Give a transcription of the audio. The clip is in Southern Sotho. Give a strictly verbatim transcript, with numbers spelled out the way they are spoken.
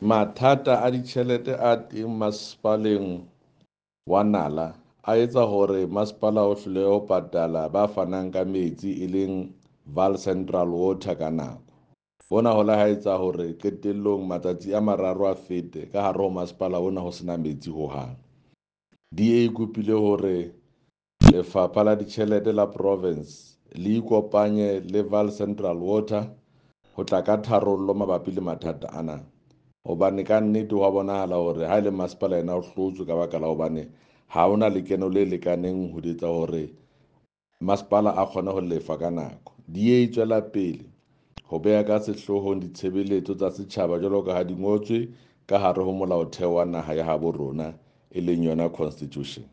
Mathata a ditjhelete a teng masepaleng wa Nala a etsa hore masepala o hlolehe ho patala ba fanang ka metsi e leng Vaal Central Water ka nako. Hona ho la ha etsa hore qetellong matsatsi a mararo a fete ka hare ho masepala ona ho sena metsi hohang. D A e kopile hore lefapha la ditjhelete la province le ikopanye le Vaal Central Water ho tla ka tharollo mabapi le mathata ana. Hobane ka nnete ho a bonahala hore ha e le masepala ena o hlotswe ka baka la hobane ha hona lekeno le lekaneng ho etsa hore masepala a kgone ho lefa ka nako. D A e tswela pele ho beha ka sehloohong ditshebeletso tsa setjhaba jwalo ka ha di ngotswe ka hare ho molaotheo wa naha ya habo rona e leng yona constitution.